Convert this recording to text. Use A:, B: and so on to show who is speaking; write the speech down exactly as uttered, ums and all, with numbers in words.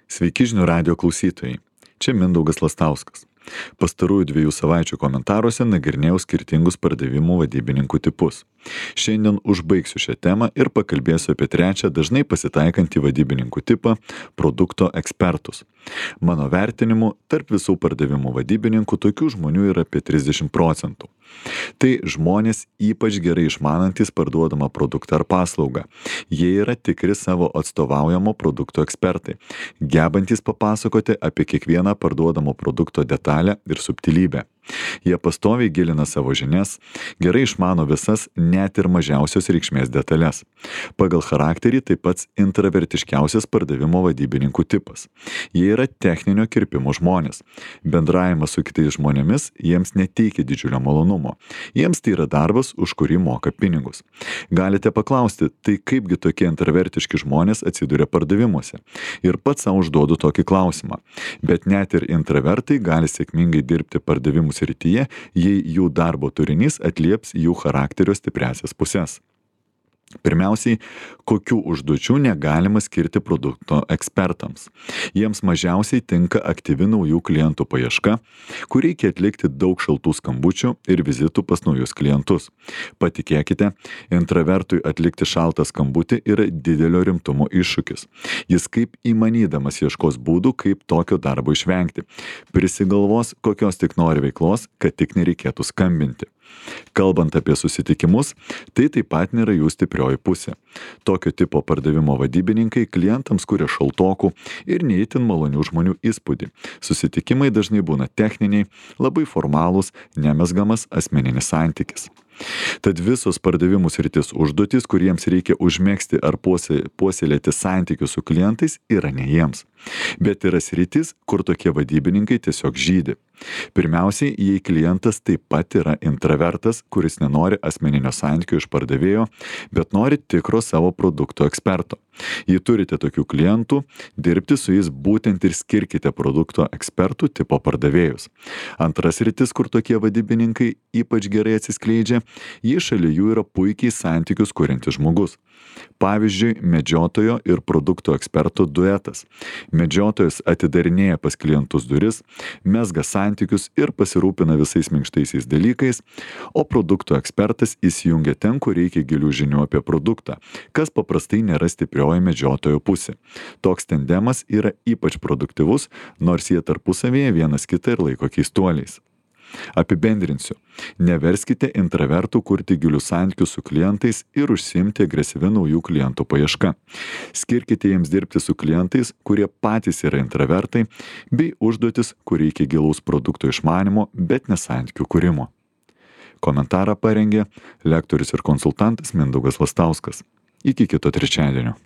A: Sveiki žinių radijo klausytojai. Čia Mindaugas Lastauskas. Pastarųjų dviejų savaičių komentaruose nagrinėjau skirtingus pardavimų vadybininkų tipus. Šiandien užbaigsiu šią temą ir pakalbėsiu apie trečią dažnai pasitaikantį vadybininkų tipą - produkto ekspertus. Mano vertinimu, tarp visų pardavimų vadybininkų tokių žmonių yra apie trisdešimt procentų. Tai žmonės ypač gerai išmanantys parduodamą produktą ar paslaugą. Jie yra tikri savo atstovaujamo produkto ekspertai, gebantys papasakoti apie kiekvieną parduodamo produkto detalę ir subtilybę. Jie pastoviai gilina savo žinias, gerai išmano visas net ir mažiausios reikšmės detalės. Pagal charakterį taip pat intravertiškiausias pardavimo vadybininkų tipas. Jie yra techninio kirpimo žmonės. Bendravimas su kitais žmonėmis jiems neteikia didžiulio malonumo. Jiems tai yra darbas, už kurį moka pinigus. Galite paklausti, tai kaipgi tokie intravertiški žmonės atsiduria pardavimuose? Ir pats savo užduodu tokį klausimą. Bet net ir intravertai gali sėkmingai dirbti pardavimų srityje, jei jų darbo turinys atlieps jų charakterio stipriąsias puses. Pirmiausiai, kokių užduočių negalima skirti produkto ekspertams. Jiems mažiausiai tinka aktyvi naujų klientų paieška, kur reikia atlikti daug šaltų skambučių ir vizitų pas naujus klientus. Patikėkite, intravertui atlikti šaltą skambutį yra didelio rimtumo iššūkis. Jis kaip įmanydamas ieškos būdų, kaip tokio darbo išvengti. Prisigalvos, kokios tik nori veiklos, kad tik nereikėtų skambinti. Kalbant apie susitikimus, tai taip pat nėra jų stiprioji pusė. Tokio tipo pardavimo vadybininkai klientams kuria šaltokų ir neįtin malonių žmonių įspūdį. Susitikimai dažnai būna techniniai, labai formalūs, nemezgamas asmeninis santykis. Tad visos pardavimų sritis užduotys, kuriems reikia užmegzti ar puoselėti santykius su klientais, yra ne jiems. Bet yra sritis, kur tokie vadybininkai tiesiog žydi. Pirmiausiai, jei klientas taip pat yra intravertas, kuris nenori asmeninio santykio iš pardavėjo, bet nori tikro savo produkto eksperto. Jei turite tokių klientų, dirbti su jais būtent ir skirkite produkto ekspertų tipo pardavėjus. Antras sritis, kur tokie vadybininkai ypač gerai atsiskleidžia, jei šalia jų yra puikiai santykius kuriantis žmogus. Pavyzdžiui, medžiotojo ir produkto eksperto duetas. Medžiotojas atidarinėja pas klientus duris, mezga santykius ir pasirūpina visais minkštaisiais dalykais, o produkto ekspertas įsijungia ten, kur reikia gilių žinių apie produktą, kas paprastai nėra stiprioji medžiotojo pusė. Toks tandemas yra ypač produktyvus, nors jie tarpusavėje vienas kitą ir laiko keistuoliais. Apibendrinsiu. Neverskite intravertų kurti gilius santykius su klientais ir užsiimti agresyvia naujų klientų paieška. Skirkite jiems dirbti su klientais, kurie patys yra intravertai, bei užduotis, kur reikia gilaus produkto išmanimo, bet ne santykių kūrimo. Komentarą parengė lektorius ir konsultantas Mindaugas Lastauskas. Iki kito trečiadienio.